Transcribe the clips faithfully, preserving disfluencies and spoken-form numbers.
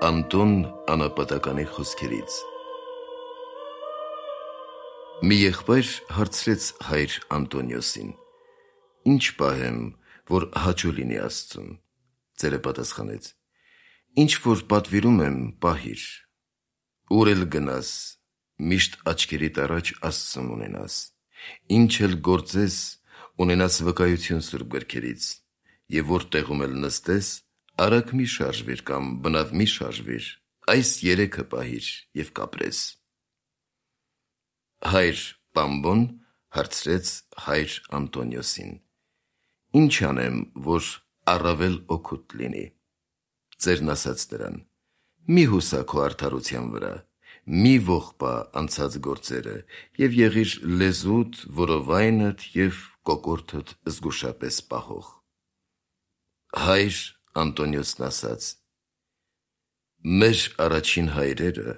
Անտոն անապատականի խոսքերից։ Մի եղբայր հարցրեց հայր Անտոնիոսին. «Ինչ պահեմ, որ հաճո լինի Աստծուն»։ Ծերը պատասխանեց. «Ինչ որ պատվիրում եմ, պահիր, ուր էլ գնաս, միշտ աչքերիդ առաջ Աստծուն ունենաս, ինչ էլ գործես, ունենաս վկայություն Սուրբ գրքերից, և որտեղում էլ նստես, արագ մի շարժվիր կամ բնավ մի շարժվիր, այս երեքը պահիր և կապրես»։ Հայր Պամբոն հարցրեց հայր Անտոնիոսին. «Ինչ անեմ, որ առավել օգուտ լինի»։ Ծերն ասաց նրան. «Մի հուսա քո արդարության վրա, մի ողբա անցած գործերը և եղիր լեզուդ, որովայնդ և կոկորդդ զգուշապես պահող»։ Հայր Անտոնիոսն ասաց. «Մեր առաջին հայրերը,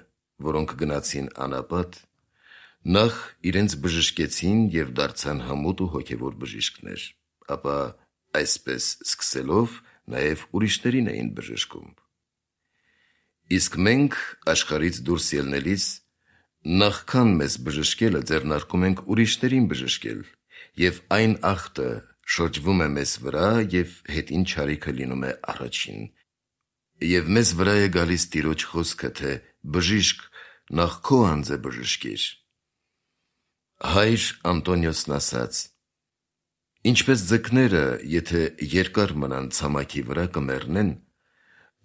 որոնք գնացին անապատ, նախ իրենց բժշկեցին և դարձան հմուտ ու հոգևոր բժիշկներ, ապա այսպես սկսելով նաև ուրիշներին էին բժշկում։ Իսկ մենք աշխարհից դուրս ելնելիս, նախքան մեզ բժշկելը ձեռնարկում ենք ուրիշներին բժշկել, և այն ախտը շրջվում է մեզ վրա և հետին չարիքը լինում է առաջին, և մեզ վրա է գալիս Տիրոջ խոսքը, թե «Բժիշկ, նախ քո անձը բժշկիր»։ Հայր Անտոնիոսն ասաց. «Ինչպես ձկները, եթե երկար մնան ցամաքի վրա, կմեռնեն,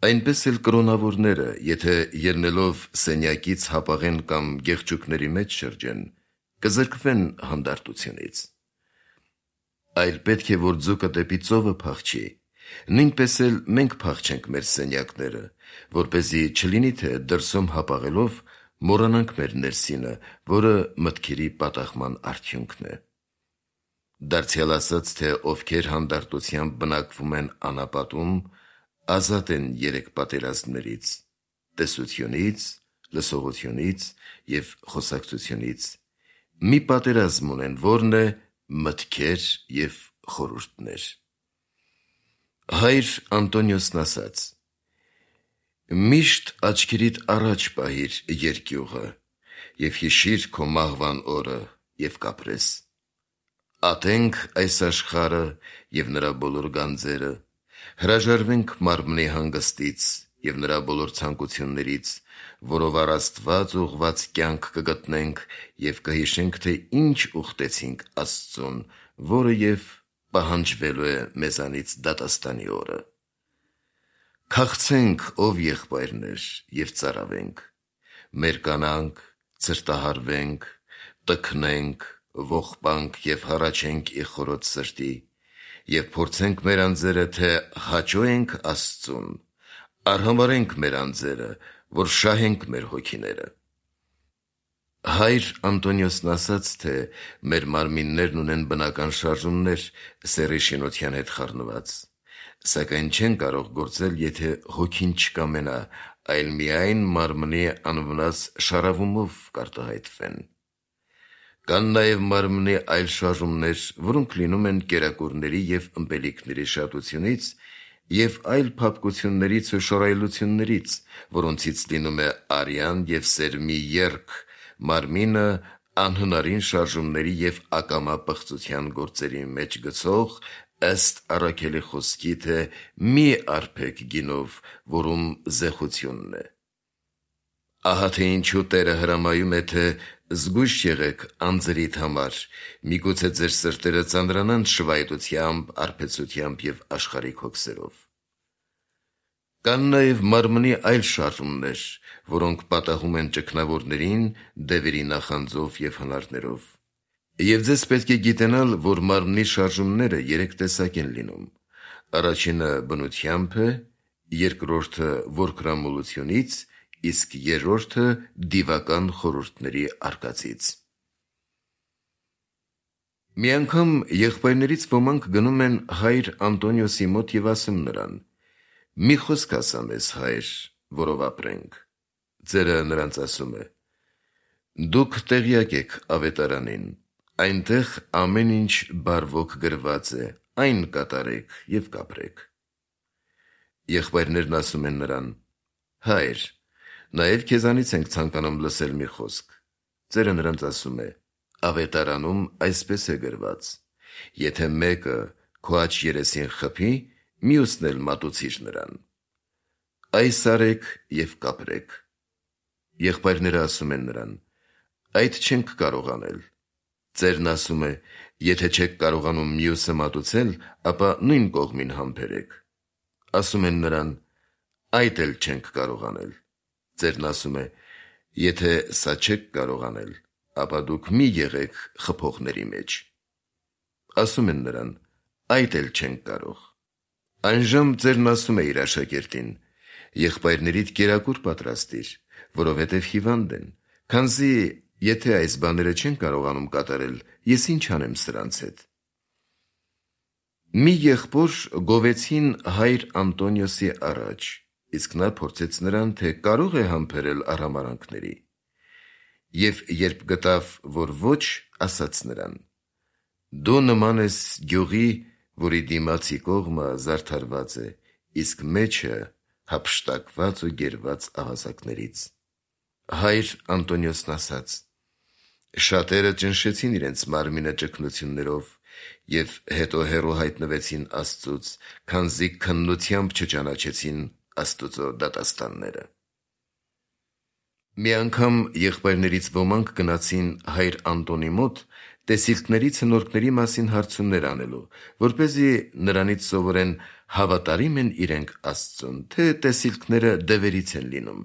այնպես էլ կրոնավորները, եթե ելնելով սենյակից հապաղեն կամ գեղջուկների մեջ շրջեն, կզրկվեն հանդարտությունից։ Այլ պետք է, որ ձուկը դեպի ծովը փախչի, նույնպես էլ մենք փախչենք մեր սենյակները, որպեսզի չլինի, թե դրսում հապաղելով մոռանանք մեր ներսինը, որը մտքերի պատահման արդյունքն է։ Դարձյալ ասած, թե ովքեր հանդարտությամբ բնակվում են անապատում, ազատ են երեք պատերազմներից՝ տեսությունից, լսողությունից և խոսակցությունից, մի պատերազմ ունեն, որն է մտքեր և խորհուրդներ»։ Հայր Անտոնիոսն ասաց. «Միշտ աչքերիդ առաջ պահիր երկյուղը և հիշիր քո մահվան օրը և կապրես։ Ատենք այս աշխարհը և նրա բոլոր գանձերը, հրաժարվենք մարմնի հանգստից և նրա բոլոր ցանկություններից, որով առ Աստված ուղղված կյանք կգտնենք և կհիշենք, թե ինչ ուխտեցինք Աստծուն, որը և պահանջվելու է մեզանից դատաստանի օրը։ Քաղցենք, ով եղբայրներ, և ծարավենք, մերկանանք, ցրտահարվենք, տքնենք, ողբանք և հառաչենք ի խորոց սրտի և փորձենք մեր անձերը, թե հաճո ենք Աստծուն, արհամարհենք մեր անձերը, որ շահենք մեր հոգիները»։ Հայր Անտոնիոսն ասաց, թե մեր մարմիններն ունեն բնական շարժումներ սեռի շինության հետ խառնված, սակայն չեն կարող գործել, եթե հոգին չկամենա, այլ միայն մարմնի անվնաս շառավումով կարտահայտվեն։ Կան նաև մարմնի այլ շարժումներ, որոնք լինում են կերակուրների և ըմպելիքների շատությունից և այլ փափկություններից ու շռայլություններից, որոնցից լինում է արյան և սերմի եռք, մարմինը անհնարին շարժումների և ակամա պղծության գործերի մեջ գցող, ըստ առաքելի խոսքի, թե «Մի արբեք գինով, որում զեխությունն է»։ Ահա թե ինչու Տերը հրամայում է, թե զգույշ եղեք անձրիդ համար, միգուցե ձեր սրտերը ծանրանան շվայտությամբ, արբեցությամբ և աշխարհիկ հոգսերով։ Կան նաև մարմնի այլ շարժումներ, որոնք պատահում են ճգնավորներին դևերի նախանձով և հնարներով։ Եվ ձեզ պետք է գիտենալ, որ մարմնի շարժումները երեք տեսակ են լինում. առաջինը բնությամբ է, երկրորդը որքրամոլությունից, իսկ երրորդը դիվական խորհուրդների արկածից։ Մի անգամ եղբայրներից ոմանք գնում են հայր Անտոնիոսի մոտ և ասում նրան. «Մի խոսք ասա մեզ, հայր, որով ապրենք»։ Ծերը նրանց ասում է. «Դուք տեղյակ եք ավետարանին, այնտեղ ամեն ինչ բարվոք գրված է, այն կատարեք և կապրեք»։ Եղբայրներն ասում են նրան. Հայր, նաև քեզանից ենք ցանկանում լսել մի խոսք։ Ծերը նրանց ասում է. ավետարանում այսպես է գրված. եթե մեկը քո աջ երեսին խփի, մյուսն էլ մատուցիր նրան։ Այս արեք և կապրեք։ Եղբայրները ասում են նրան. այդ չենք կարող անել։ Ծերն ասում է. եթե չեք կարողանում մյուսը մատուցել, ապա նույն կողմին համբերեք։ Ասում են նրան. այդ էլ չենք կարող անել։ Ծերն ասում է. եթե սա չեք կարող անել, ապա դուք մի եղեք խփողների մեջ։ Ասում են նրան. այդ էլ չենք կարող։ Այնժամ ծերն ասում է իր աշակերտին. եղբայրներիդ կերակուր պատրաստիր, որովհետև հիվանդ են, քանզի եթե այս բաները չեն կարողանում կատարել, ես ինչ անեմ սրանց հետ։ Մի եղբոր գովեցին հայր Անտոնիոսի առաջ, իսկ նա փորձեց նրան, թե կարող է համբերել արհամարհանքների։ Եվ երբ գտավ, որ ոչ, ասաց նրան. դու նման ես գյուղի, որի դիմացի կողմը զարդարված է, իսկ մեջը հափշտակված ու գերված ավազակներից։ Հայր Անտոնիոսն ասաց. շատերը ճնշեցին իրենց մարմինը ճգնություններով և հետո հեռու հայտնվեցին Աստծուց, քանզի քննությամբ չճանաչեցին Աստուծո դատաստանները։ Մի անգամ եղբայրներից ոմանք գնացին հայր Անտոնի մոտ տեսիլքների ցնորքների մասին հարցումներ անելու, որպեսզի նրանից սովորեն հավատարի՞մ են իրենք Աստծուն, թե տեսիլքները դևերից են լինում։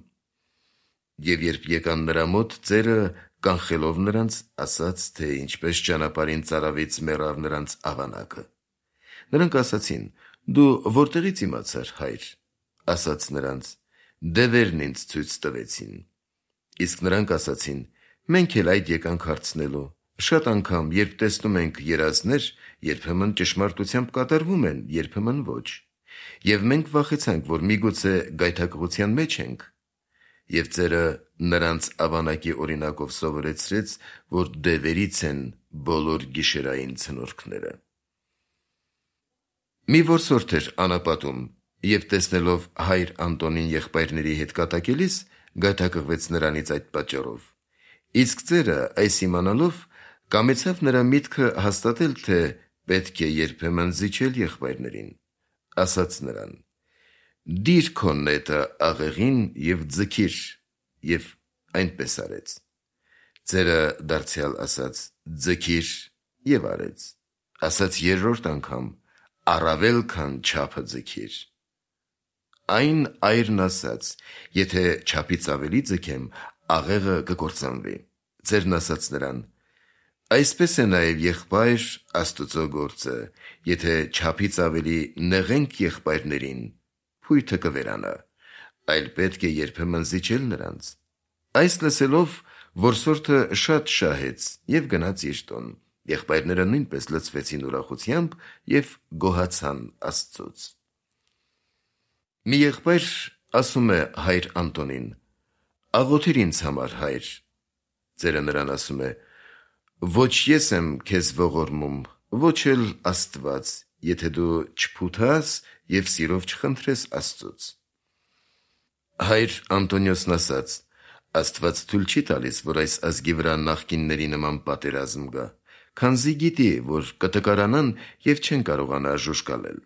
Եվ երբ եկան նրա մոտ, ծերը կանխելով նրանց, ասաց, թե ինչպես ճանապարհին ծարավից մեռավ նրանց ավանակը։ Նրանք ասացին. դու որտեղից իմացար, հայր։ Ասաց նրանց. դևերն ինձ ցույց տվեցին։ Իսկ նրանք ասացին. մենք էլ այդ եկանք հարցնելու։ Շատ անգամ, երբ տեսնում ենք երազներ, երբեմն ճշմարտությամբ կատարվում են, երբեմն ոչ։ Եվ մենք վախեցանք, որ միգուցե գայթակղության մեջ ենք։ Եվ ծերը նրանց ավանակի օրինակով սովորեցրեց, որ դևերից են բոլոր գիշերային ցնորքները։ Մի որսորդ էր անապատում, և տեսնելով հայր Անտոնին եղբայրների հետ կատակելիս, գայթակղվեց նրանից այդ պատճառով։ Իսկ ծերը, այս իմանալով, կամեցավ նրա միտքը հաստատել, թե պետք է երբեմն զիջել եղբայրներին։ Ասաց նրան. դիր քո նետը աղեղին և ձգիր, և այնպես արեց։ Ծերը դարձյալ ասաց. ձգիր, և արեց։ Ասաց երրորդ անգամ. առավել քան չափը ձգիր։ Այն այրն ասաց. եթե չափից ավելի ձգեմ, աղեղը կկործանվի։ Ծերն ասաց նրան. այսպես է նաև եղբայր Աստուծո գործը, եթե չափից ավելի նեղենք եղբայրներին, փույթը կվերանա, այլ պետք է երբեմն զիջել նրանց։ Այս լսելով, որսորդը շատ շահեց և գնաց իր տուն։ Եղբայրները նույնպես լցվեցին ուրախությամբ և գոհացան Աստծուց։ Մի եղբայր ասում է հայր Անտոնին. աղոթիր ինձ համար, հայր։ Ծերը նրան ասում է. ոչ ես եմ քեզ ողորմում, ոչ էլ Աստված, եթե դու չփութաս և սիրով չխնդրես Աստծուց։ Հայր Անտոնիոսն ասաց. Աստված թույլ չի տալիս, որ այս ազգի վրա նախկինների նման պատերազմ գա, քանզի գիտի, որ կտկարանան և չեն կարողանա ժուժկալել։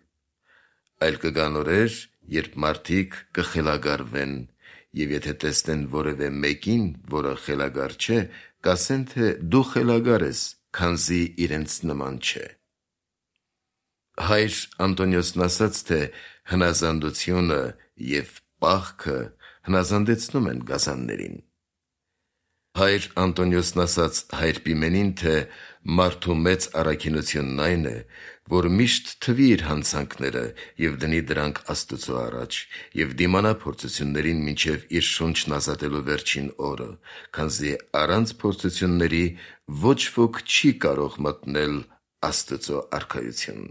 Այլ կգան օրեր, երբ մարդիկ կխելագարվեն, և եթե տեսնեն որևէ մեկին, որը խելագար չէ, կասեն, թե դու խելագար ես, քանզի իրենց նման չէ։ Հայր Անտոնիոսն ասաց, թե հնազանդությունը և պաղքը հնազանդեցնում են գազաններին։ Հայր Անտոնիոսն ասաց հայր Պիմենին, թե մարդու մեծ առաքինությունն այն է, որ միշտ թվի իր հանցանքները և դնի դրանք Աստուծո առաջ և դիմանա փորձություններին մինչև իր շունչն ազատելու վերջին օրը, քանզի առանց փորձությունների ոչ ոք չի կարող մտնել Աստուծո արքայություն։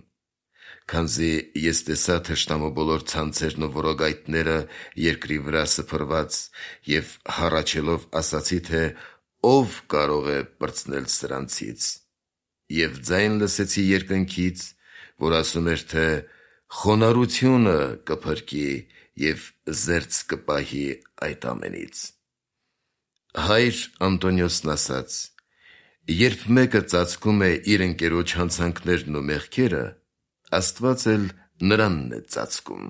Քանզի ես տեսա թշնամու բոլոր ցանցերն ու որոգայթները երկրի վրա սփռված և հառաչելով ասացի, թե ով կարող է պրծնել սրանցից։ Եվ ձայն լսեցի երկնքից, որ ասում էր, թե խոնարհությունը կփրկի և զերծ կպահի այդ ամենից։ Հայր Անտոնիոսն ասաց. «Երբ մեկը ծածկում է իր ընկերոջ հանցանքներն ու մեղքերը, Աստված էլ նրանն է ծածկում»։